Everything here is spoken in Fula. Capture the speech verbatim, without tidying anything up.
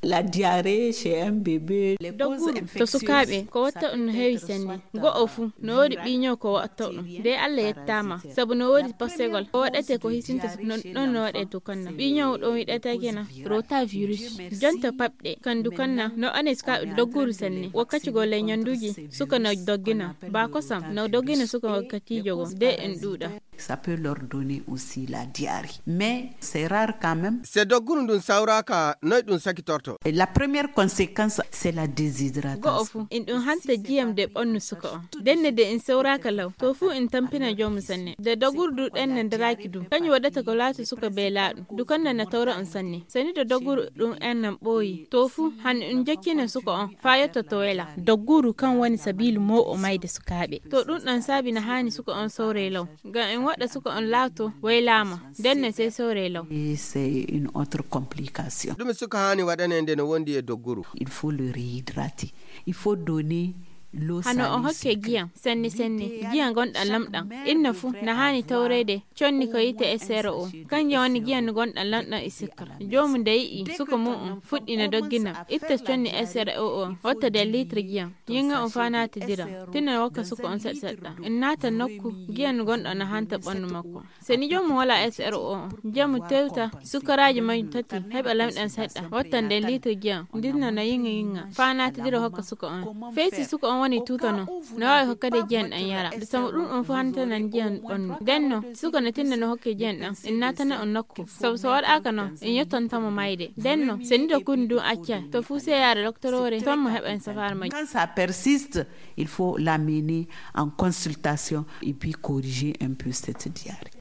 La diarrhée chez un bébé, les causes infectieuses, to sukaaɓe ko watta ɗum no heewi senne. Go'o fuu no woodi ɓiiñow ko watta ɗum. De Allah yettaama sabu no woodi posegol ko waɗate ko hisinta non ɗon no waɗe dukanna ɓiiñow ɗon wiɗata kena rotavirus. Jonta paɓɗe kan dukanna no ane sukaaɓe dogguru senne wakkati go ley ñanduuji suka no doggina ba kosam no doggina suka wakkatiijo go de en ɗuuɗa. Ça peut leur donner aussi la diarrhée, mais c'est rare quand même. Se dogguru ndun sawraaka noy ɗum sakitorto? Et la première conséquence, c'est la déshydratation. Go'o fuu in ɗum hanta jiyam de ɓannu suka on. Denne de in sawraaka law to fuu in tampina joomu sanne de dogguru du ɗen ne ndaraaki du kañum waɗata ko laati suka be laaɗu du kanna na tawra on sanne sani de dogguru ɗum en nan ɓooyi to fuu han in jokkina suka on faa yotto to wela. Dogguru kan woni sabiilu mo'o mayde sukaaɓe to ɗum ɗan saabi na haani suka on sawre law. Ngam en waɗa suka on laato waylaama, nden ne sey sewre law. Et c'est une autre complication. Ɗume suka haani waɗanee nde no wondi e dogguru? Il faut le réhydrater. Il faut donner l'eau salée sucrée. Hano on hokke giyam senne senne, giyam gonɗam lamɗam. Inna fuu na haani tawreede conni ko yiite S R O. Kanjum woni giyam gonɗam lamɗam e sikkar. Joomu nde yi'i suka mu'um fuɗɗi no doggina, itta conni S R O o, watta nder litre giyam. Yiŋa on faa naatidira, tinna wokka suka on seɗɗa seɗɗa. En naata nokku, giyan gonɗo na hanta ɓandu makko. Se ni joomum wala S R O on, njamu tewta sukaraaji majjum tati, heɓa lamɗam seɗɗa, watta nder litre giyan, ndinna no yiŋa yiŋa, faa naatidira hokka suka on. Fey si suka on woni tuuta non, no waawi hokkade giyan ɗan yara. Sabu ɗum on fuu hantanan giyan ɓandu. Nden non, suka no tinna no hokke giyan ɗan, en naatana on nokku. Sabu so waɗaaka non, en yottanta mo mayde. Nden non, se ni dogguru ndun accay, to fuu sey yaara doktoroore, ton mo heɓan safaara majjum. Quand ça persiste, il faut l'amener en consultation et puis corriger un peu cette diarrhée.